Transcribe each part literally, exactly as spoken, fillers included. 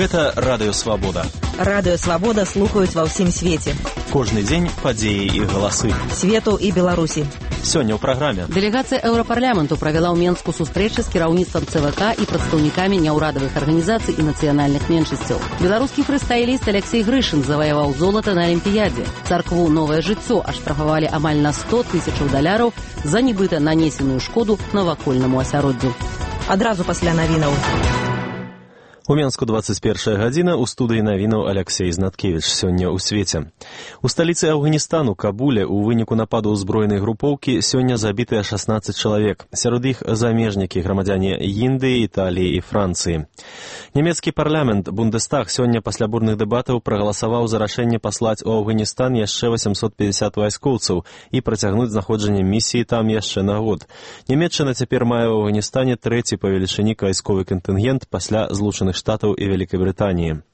Гэта Радыё Свабода. Радыё Свабода слухаюць ва ўсім свеце. Кожны дзень падзеі і галасы. Свету і Беларусі. Сёння ў праграме. Дэлегацыя Еўрапарламенту правяла ў Менску сустрэчы з кіраўніцтвам ЦВК і прадстаўнікамі няўрадавых арганізацый і нацыянальных меншасцяў. Беларускі фрыстайліст Алексей Грышын заваяваў золата на Алімпіядзе. Царкву «Новае жыццё» аштрафавалі амаль на сто тысячаў даляраў за нібыта нанесеную шкоду навакольнаму асяроддзю. Адразу пасля навінаў. У Менску двадцать первая гадзіна, у студыі навінаў Алексей Знаткевіч. Сёння ў свеце. У сталіцы Афганістану, Кабуле, у выніку нападу збройнай групоўкі сёння забітыя шаснаццаць чалавек. Сярод іх замежнікі, грамадзяне Індыі, Італіі і Францыі. Нямецкі парламент Бундестаг сёння пасля бурных дэбатаў прагаласаваў за рашэнне паслаць у Афганістан яшчэ восемьсот пятьдесят вайскоўцаў і працягнуць знаходжанне місіі там яшчэ на год. Нямецчына цяпер мае ў Афганістане трэці па велічыні вайсковы кантынгент пасля Злучаных Штатаў і Вялікай Брытаніі.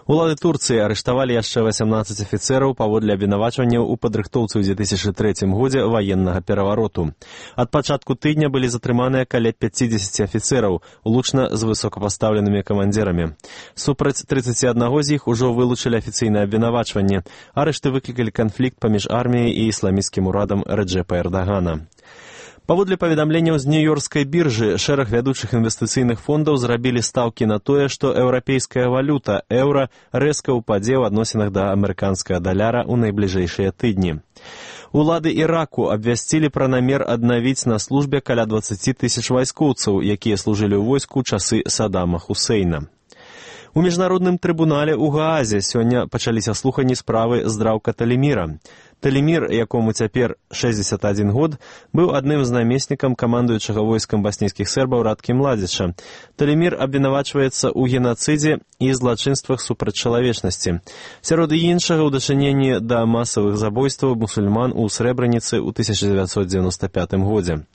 Улады Турцыі арыштавалі яшчэ васямнаццаць афіцэраў паводле абвінавачванняў у падрыхтоўцы ў две тысячы трэцім годзе ваеннага перавароту. Ад пачатку тыдня былі затрыманыя каля пяцідзесяці афіцэраў, улучна з высокапастаўленымі камандзірамі. Супраць трыццаці аднаго з іх ужо вылучылі афіцыйнае абвінавачванне. Арышты выклікалі канфлікт паміж арміяй і ісламісцкім урадам Рэджэпа Эрдагана. Паводле паведамленняў з нью-йоркскай біржы, шэраг вядучых інвестыцыйных фондаў зрабілі стаўкі на тое, што еўрапейская валюта, еўра, рэзка ўпадзе ў адносінах да амерыканскага даляра ў найбліжэйшыя тыдні. Улады Іраку абвясцілі пра намер аднавіць на службе каля дваццаць тысяч вайскоўцаў, якія служылі ў войску часы Саддама Хусейна. У міжнародным трыбунале ў Гаазе сёння пачаліся слуханні справы здраўка Таліміра. Талімір, якому цяпер шэсцьдзесят адзін год, быў адным з намеснікам камандуючага войскам баснійскіх сербаў Радкі Младзіча. Талімір абвінавачваецца ў генацыдзе і злачынствах супраць чалавечнасці. Сярод іншага ў дачыненні да масавых забойстваў мусульман у Срэбраніцы ў тысяча дзевяцьсот дзевяносто пятым годзе.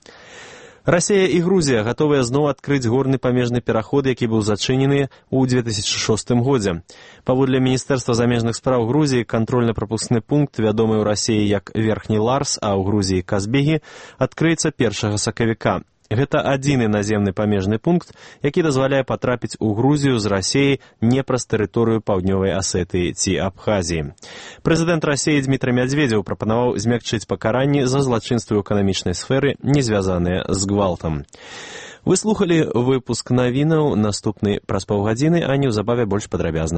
Расія і Грузія гатовыя зноў адкрыць горны памежны пераход, які быў зачынены ў две тысячы шостым годзе. Паводле Міністэрства замежных спраў Грузіі, кантрольна-прапускны пункт, вядомы ў Расіі як Верхні Ларс, а ў Грузіі Казбегі, адкрыецца першага сакавіка. Гэта адзіны наземны памежны пункт, які дазваляе патрапіць у Грузію з Расіі не праз тэрыторыю Паўднёвай Асетыі ці Абхазіі. Прэзідэнт Расіі Дмітрый Мядзведзеў прапанаваў змякчыць пакаранні за злачынствы ў эканамічнай сферы, не звязаныя з гвалтам. Вы слухалі выпуск навінаў, наступны праз паўгадзіны, а неўзабаве больш падрабязна.